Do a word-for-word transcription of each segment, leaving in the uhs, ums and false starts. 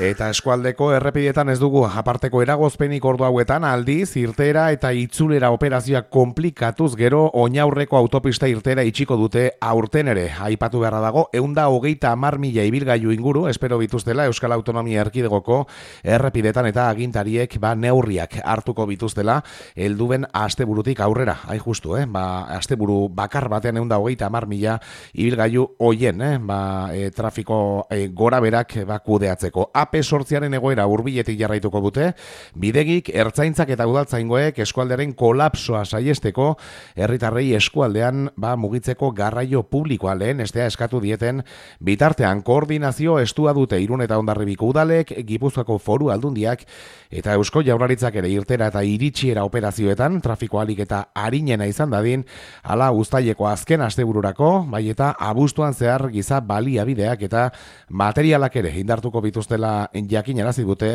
Eta eskualdeko errepidetan ez dugu aparteko eragozpenik ordu hauetan, aldiz, irtera eta itzulera operazioak komplikatuz gero oinaurreko autopista irtera itxiko dute aurten ere. Aipatu beharra dago, ehun eta hogeita hamar mila ibilgailu inguru, espero bituztela Euskal Autonomia Erkidegoko errepidetan eta agintariek ba, neurriak hartuko bituztela, helduen asteburutik aurrera. Hain justu, eh? ba, asteburu bakar batean ehun eta hogeita hamar mila ibilgailu hoien, eh? ba, e, trafiko e, gora berak ba, kudeatzeko. A P sortziaren egoera hurbiletik jarraituko dute, bidegik, ertzaintzak eta udaltzaingoek eskualdearen kolapsoa saiesteko, herritarrei eskualdean ba, mugitzeko garraio publikoa lehen estea eskatu dieten bitartean koordinazio estua dute Irun eta Hondarribiko udalek, Gipuzkoako Foru Aldundiak eta Eusko Jaurlaritzak ere irtera eta iritsiera operazioetan trafiko alik eta arinena izan dadin, hala uztaileko azken astebururako, bai eta abuztuan zehar giza baliabideak eta materialak ere indartuko bituztela jakinarazi dute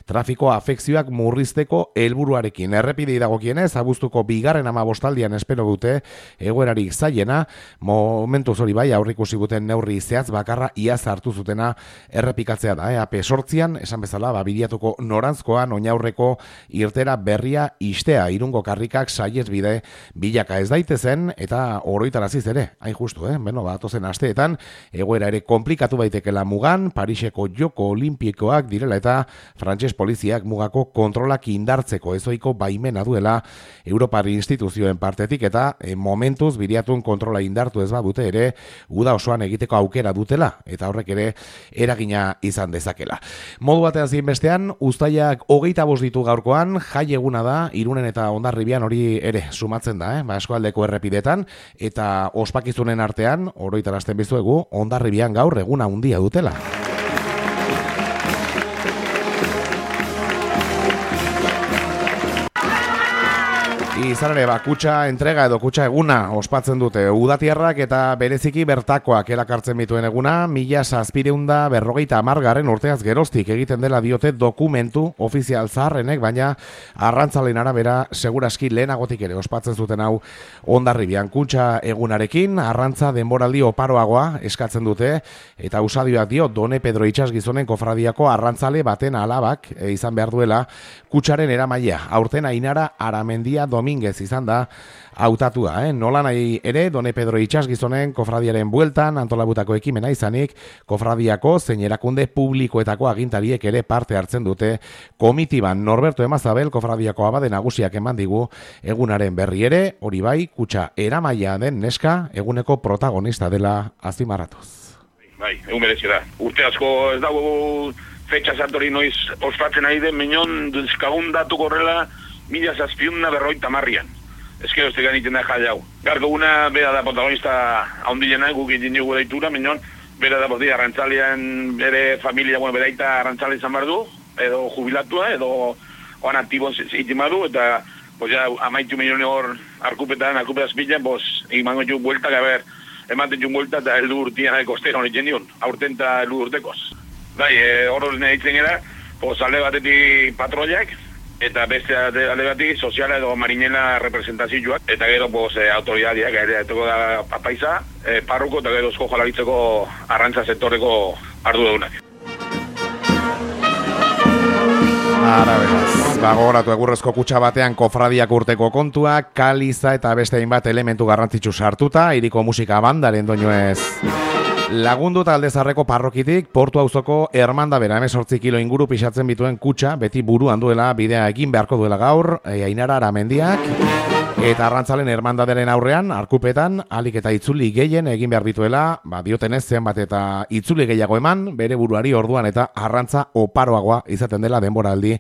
trafiko afekzioak murrizteko helburuarekin. Errepidei dagokienez, abuztuko bigarren hamabostaldian espero dute egoerarik zailena, momentuz hori bai aurrikusi duten neurri zehatz bakarra iaz hartu zutena errepikatzea da. Eh? A P sortzian, esan bezala, ba, bidiatuko norantzkoan oinaurreko irtera berria istea, Irungo karrikak saiez bide bilaka ez daitezen eta oroitaraziz ere, hain justu, eh? Beno, ba, atozen asteetan, egoera ere komplikatu baitekela mugan, Pariseko Joko Olimpikoak direla eta frantses poliziak mugako kontrolak indartzeko ezoiko baimena duela Europar instituzioen partetik eta e, momentuz biriatun kontrola indartu ez badute ere uda osoan egiteko aukera dutela eta horrek ere eragina izan dezakela. Modu batean zein bestean, uztailak hogeita bost ditu gaurkoan, jai eguna da, Irunen eta Hondarribian hori ere sumatzen da, eh? ba, eskualdeko errepidetan eta ospakizunen artean, oroitarazten bizuegu, Hondarribian gaur eguna handia dutela. Izan ere, ba, kutxa entrega edo kutxa eguna ospatzen dute udatiarrak eta bereziki bertakoak erakartzen bituen eguna, mila zazpireunda berrogeita hamargarren urteaz geroztik egiten dela diote dokumentu ofizial zaharrenek, baina arrantzalen arabera seguraski lehenagotik ere ospatzen zuten hau Hondarribian. Kutxa egunarekin arrantza denboraldi oparoagoa eskatzen dute eta usadioak dio Done Pedro Itsasgizonen kofradiako arrantzale baten alabak e, izan behar duela kutxaren eramailea. Aurten Ainara Aramendia Dominguez izan da hautatua, eh? Nola nahi ere, Done Pedro Itsasgizonen kofradiaren bueltan antolabutako ekimena izanik, kofradiako zein erakunde publikoetako agintariek ere parte hartzen dute komitiban. Norberto Emazabel kofradiako abade nagusiak eman digu egunaren berri ere, hori bai, kutxa eramaia den neska eguneko protagonista dela azpimarratuz. Bai, egun berezi da. Urte asko ez dago fetxa santori noiz ospatzen ari den, minon duzkagun datu korrela mila zazpiuna berroita marrian. Ez que ez tegan iten da jai hau. Garko guna bera da protagonista haundilena, guk egin dugu deitura, minon, bera da boti arrantzalean bere familia, bueno, bera eta arrantzale izan behar du, edo jubilatua, edo oan aktibo zitin badu, eta pues ya amaitu milione hor arkupetan, arkupetaz bilan, pues egimango jo bueltak, a ber, ematen jo bueltak eta heldu urtian ekostera honik jendion, aurten eta heldu urtekoz. Bai, hor hori nahitzen gara, pues alde batetik patroiak, eta beste alde batetik soziala edo marinela representazioak, eta gero pues, autoridadiak, ere etoko da apaiza, eh, parruko eta gero esko jolaritzeko arrantza sektoreko arduradunak. Ara beraz, bagoratu egurrezko kutxa batean kofradiak urteko kontua, kaliza eta beste hainbat elementu garrantzitsu sartuta, hiriko musika bandaren doinuez. Lagundu talde zarreko parrokitik, Portu auzoko Hermanda bera hemezortzi kilo inguru pixatzen bituen kutxa, beti buruan duela bidea egin beharko duela gaur, e, Ainara Aramendiak, eta arrantzalen hermandaderen aurrean, arkupetan, alik eta itzuli gehien egin behar dituela, ba, diotenez zenbat eta itzuli gehiago eman, bere buruari orduan eta arrantza oparoagoa izaten dela denboraldi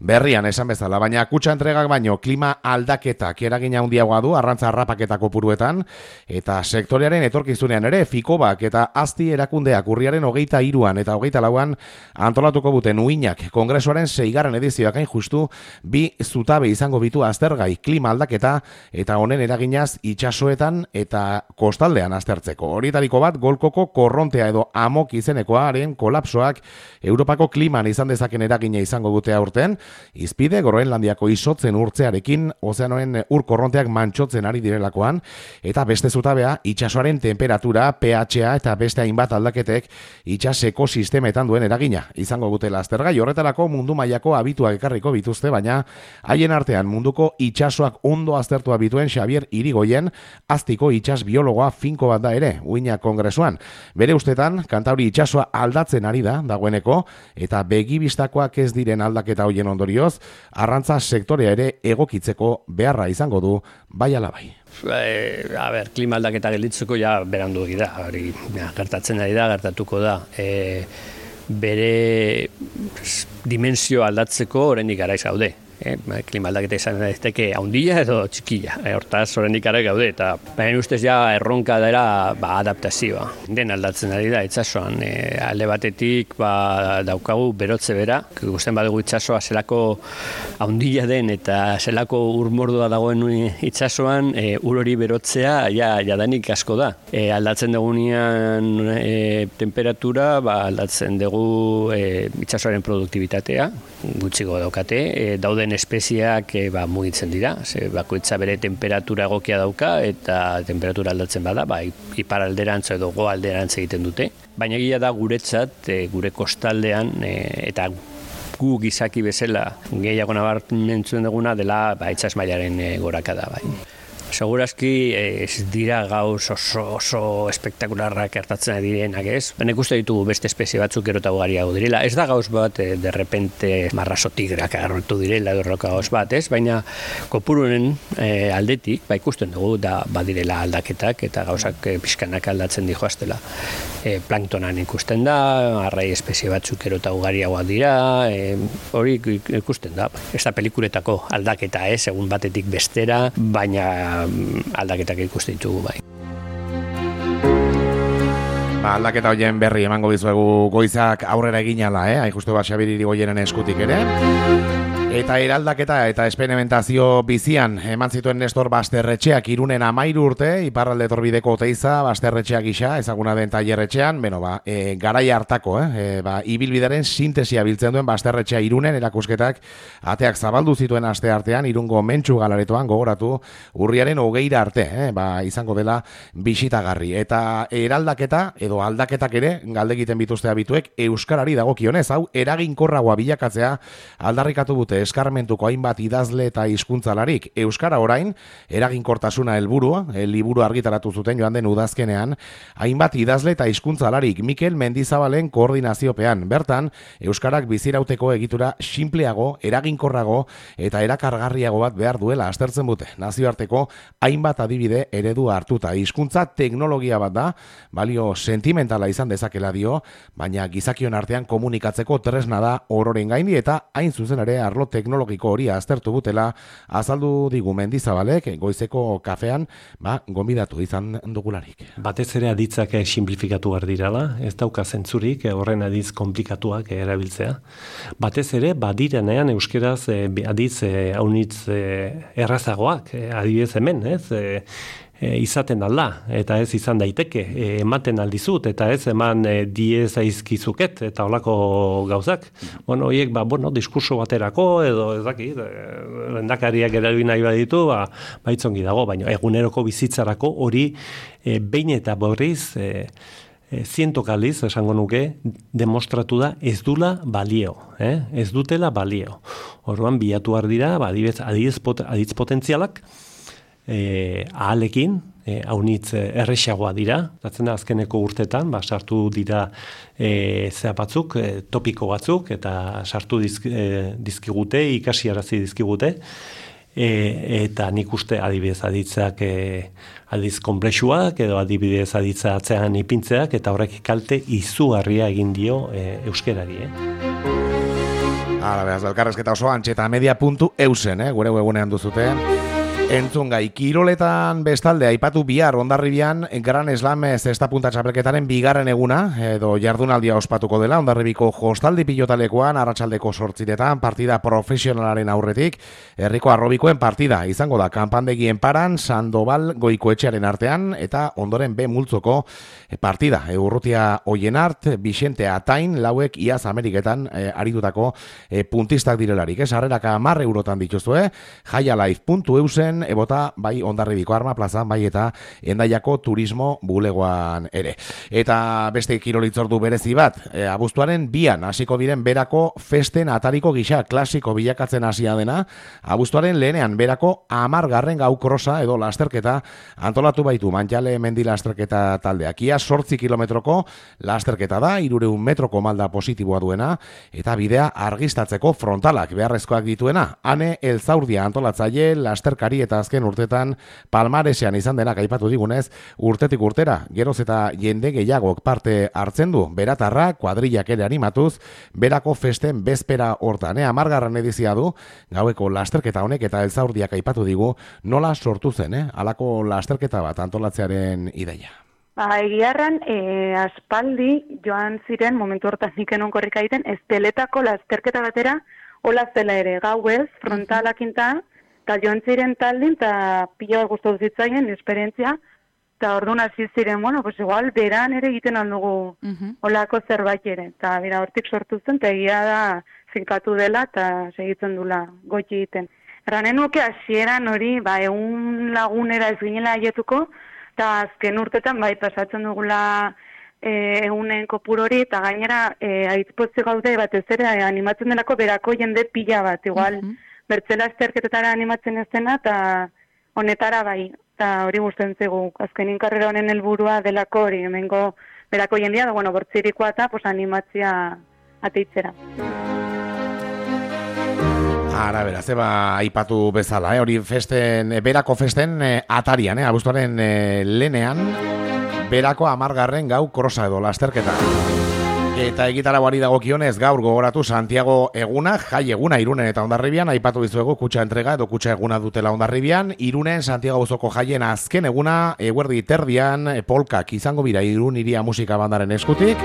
berrian esan bezala. Baina kutxa entregak baino klima aldaketak eragina handiagoa du arrantza harrapaketako puruetan, eta sektorearen etorkizunean ere, Fikobak eta Asti erakundeak urriaren hogeita hiruan eta hogeita lauan antolatuko buten uinak kongresuaren seigarren edizioak hain justu bi zutabe izango bitu aztergai klima aldaketa eta honen eraginaz itsasoetan eta kostaldean aztertzeko. Horietariko bat Golkoko korrontea edo amok izenekoaren kolapsoak Europako kliman izan dezaken eragina izango dute aurten, izpide Groenlandiako isotzen urtzearekin ozeanoen ur korronteak mantxotzen ari direlakoan, eta beste zutabea itsasoaren temperatura, pH-a eta beste hainbat aldaketek itsas ekosistemetan duen eragina izango dutela aztergai. Horretarako mundu mailako abituak ekarriko bituzte, baina haien artean munduko itsasoak ondo aztertua bituen Xabier Irigoyen aztiko itsas biologoa finko bat da ere, uina kongresuan. Bere ustetan, Kantauri itsasoa aldatzen ari da dagoeneko, eta begibistakoak ez diren aldaketa hoien ondorioz, arrantza sektorea ere egokitzeko beharra izango du bai ala bai. E, a ber, klima aldaketa gelditzeko ja berandu da, hori ja, gertatzen ari da, gertatuko da. E, bere dimensio aldatzeko oraindik garaiz gaude. E, klima aldaketa izan daiteke handia edo txikia. E, hortaz oraindik garaiz gaude eta baina ustez ja erronka dela ba, adaptazioa. Den aldatzen ari da itsasoan. E, alde batetik ba, daukagu berotze bera. Ikusten badugu itsasoa zelako handia den eta zelako urmordua dagoen itsasoan, e, ur hori berotzea ja jadanik asko da. E, aldatzen dugunean e, temperatura, ba, aldatzen dugu e, itsasoaren produktibitatea, gutxiko daukate, e, dauden espeziak e, ba, mugitzen dira, ze bakoitza bere temperatura egokia dauka eta temperatura aldatzen bada, ba, iparalderantz edo goalderantz egiten dute. Baina egia da guretzat, e, gure kostaldean e, eta gu gizaki bezala gehiago nabarmentzen duguna dela ba, itsas mailaren e, gorakada bai. Segurazki ez dira gauz oso, oso espektakularrak gertatzen direnak ez. Nik uste ditugu beste espezie batzuk gero eta ugariago direla. Ez da gauz bat, eh, de repente marraso tigrak agertu direla edo erroka gauz bat, ez? Baina kopurunen eh, aldetik, ba ikusten dugu da badirela aldaketak eta gauzak eh, pixkanak aldatzen dijoaztela. Eh, planktonan ikusten da, arrai espezie batzuk gero eta ugariagoak dira, eh, hori ikusten da. Ez da pelikuletako aldaketa ez, egun batetik bestera, baina aldaketak ikusten ditugu bai. Ba, aldaketa hoien berri emango dizuegu goizak aurrera eginala, eh? Hain justu bat Xabier Irigoyenen eskutik ere. Eta eraldaketa eta esperimentazio bizian eman zituen Nestor Basterretxeak Irunen amairu urte, iparralde torbideko Oteiza Basterretxeak gisa, ezaguna den tailerretxean, beno ba, e, garaia hartako, eh? E, ba, ibilbidaren sintesia biltzen duen Basterretxea Irunen erakusketak ateak zabaldu zituen aste artean, Irungo Mentxu galaretoan gogoratu urriaren hogeira arte, eh? Ba, izango dela bisitagarri. Eta eraldaketa edo aldaketak ere galdegiten bituzte abituek euskarari dagokionez, hau eraginkorragoa bilakatzea aldarrikatu dute eskarmentuko hainbat idazle eta hizkuntzalarik. Euskara orain, eraginkortasuna helburua, el liburu argitaratu zuten joan den udazkenean, hainbat idazle eta hizkuntzalarik Mikel Mendizabalen koordinaziopean. Bertan, euskarak bizirauteko egitura sinpleago, eraginkorrago eta erakargarriago bat behar duela aztertzen dute. Nazioarteko hainbat adibide eredu hartuta. Hizkuntza teknologia bat da, balio sentimentala izan dezakela dio, baina gizakion artean komunikatzeko tresna da ororen gaindi eta hain zuzen ere arlo teknologiko hori aztertu butela azaldu digu Mendizabalek goizeko kafean, ba, gonbidatu izan dugularik. Batez ere aditzak simplifikatu behar dirala, ez dauka zentzurik horren aditz komplikatuak erabiltzea. Batez ere badirenean euskeraz aditz haunitz errazagoak, adibidez hemen, ez? E, izaten alda, eta ez izan daiteke, e, ematen aldizut, eta ez eman e, diez aizkizuket, eta holako gauzak. Bueno, horiek, ba, bueno, diskurso baterako, edo ez dakit, e, lehendakariak erabil nahi baditu, ba, baitzongi dago, baina eguneroko bizitzarako hori e, behin eta borriz, e, e, zientok aldiz, esango nuke, demostratu da ez dula balio, eh? ez dutela balio. Orduan, bilatu behar dira, ba, adibidez, aditz, pot, aditz potentzialak, E, ahalekin, e, haunitz erresagoa dira, datzen da azkeneko urtetan, ba, sartu dira e, zea batzuk, e, topiko batzuk, eta sartu dizk, e, dizkigute, ikasiarazi dizkigute, e, eta nik uste adibidez aditzak e, adiz komplexuak, edo adibidez aditza atzean ipintzeak, eta horrek kalte izugarria egin dio e, euskerari, eh? Hala, behaz, elkarrezketa oso antxeta media puntu eusen, eh? Gure webunean duzute. Entzungai, kiroletan bestalde aipatu bihar Hondarribian Gran Slam zesta punta txapelketaren bigarren eguna edo jardunaldia ospatuko dela Hondarribiko Jostaldi pilotalekoan arratsaldeko zortziretan partida profesionalaren aurretik herriko arrobikoen partida izango da kanpandegien paran Sandoval Goikoetxearen artean eta ondoren B multzoko partida Urrutia Oienart, Vicente Atain lauek iaz Ameriketan eh, aritutako eh, puntistak direlarik, ez harreraka hamar eurotan dituzue, jaialife puntu eusen ebota bai Hondarribiko Arma plazan, bai eta Hendaiako turismo bulegoan ere. Eta beste kirolitzordu berezi bat, e, abuztuaren bian hasiko diren berako festen atariko gisa klasiko bilakatzen hasia dena, abuztuaren lehenean berako amargarren gau krosa edo lasterketa antolatu baitu Mantxale mendi lasterketa taldeak. Ia sortzi kilometroko lasterketa da, hirureun metroko malda positiboa duena, eta bidea argistatzeko frontalak beharrezkoak dituena. Hane Elzaurdia antolatzaile lasterkari eta azken urtetan palmaresean izan denak aipatu digunez, urtetik urtera, geroz eta jende gehiagok parte hartzen du, beratarra, kuadrillak ere animatuz, berako festen bezpera hortan, eh? Amargarren edizia du, gaueko lasterketa honek eta Elzaurdiak aipatu digu, nola sortu zen, eh? Halako lasterketa bat antolatzearen ideia. Ba, egiarran, e, aspaldi joan ziren, momentu hortan nikenon korrika egiten, esteletako lasterketa batera, hola zela ere, gauez, frontalakinta, eta joan ziren taldin, eta pila bat gustatu zitzaien, esperientzia, eta orduan hasi ziren, bueno, pues igual, beran ere egiten aldugu uh-huh. olako zerbait ere, eta bera hortik sortu zen, eta egia da zinkatu dela, eta segitzen dula goiti egiten. Erranen nuke hasieran hori, ba, egun lagunera ez ginela aietuko, eta azken urtetan, bai, pasatzen dugula e, egunen kopur hori, eta gainera, e, aitzpotze gaude, batez ere, animatzen delako berako jende pila bat, igual, uh-huh. bertzela esterketetara animatzen ez dena, eta honetara bai, eta hori gusten zegu, azkenin karrera honen helburua delako hori, hemengo berako jendia, da, bueno, bortzirikoa eta pues, animatzia ateitzera. Ara, bera, zeba aipatu bezala, eh? Hori festen, berako festen eh, atarian, eh? Abuztuaren eh, lehenean, berako amargarren gau krosa edo lasterketa. Eta egitaragoari dagokionez gaur gogoratu Santiago eguna, jai eguna Irunen eta Hondarribian, aipatu dizuegu kutxa entrega edo kutxa eguna dutela Hondarribian, Irunen Santiago auzoko jaien azken eguna, eguerdi terdian, polkak izango bira Irun Iria musika bandaren eskutik,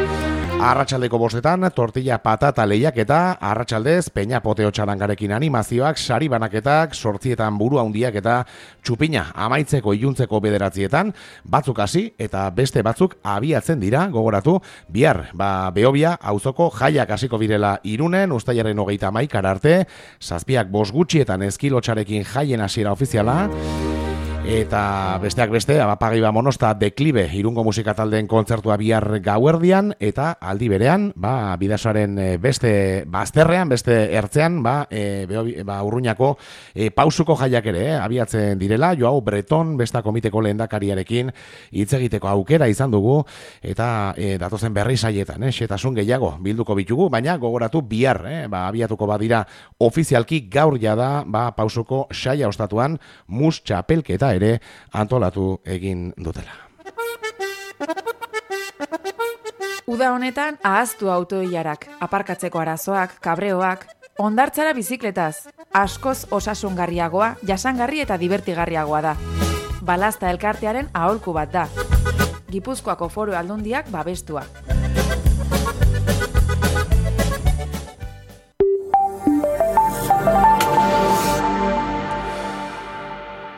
arratsaldeko bostetan, tortilla patata lehiaketa, arratsaldez, peña poteo txarangarekin animazioak, sari banaketak, sortzietan buru handiak eta txupina amaitzeko iluntzeko bederatzietan, batzuk hasi eta beste batzuk abiatzen dira, gogoratu, bihar, ba, Beobia, auzoko jaiak hasiko birela Irunen, ustailaren hogeita hamaikara arte, zazpiak bost gutxietan eskilotxarekin jaien hasiera ofiziala, eta besteak beste, Abapagiba Monosta Deklibe Irungo musika taldeen kontzertua bihar gauerdian, eta aldi berean, ba, bidasoaren beste bazterrean, beste ertzean, ba, e, ba Urruñako e, pausuko jaiak ere, eh, abiatzen direla, Joao Breton, besta komiteko lehendakariarekin hitz egiteko aukera izan dugu, eta e, datozen berri saietan, eh, xetasun gehiago bilduko bitugu, baina gogoratu bihar, eh, ba, abiatuko badira ofizialki gaur jada, ba, pausuko saia ostatuan, mus txapelketa ere antolatu egin dutela. Uda honetan ahaztu autoilarak, aparkatzeko arazoak, kabreoak, hondartzara bizikletaz, askoz osasungarriagoa, jasangarri eta divertigarriagoa da. Balazta elkartearen aholku bat da. Gipuzkoako Foru Aldundiak babestua.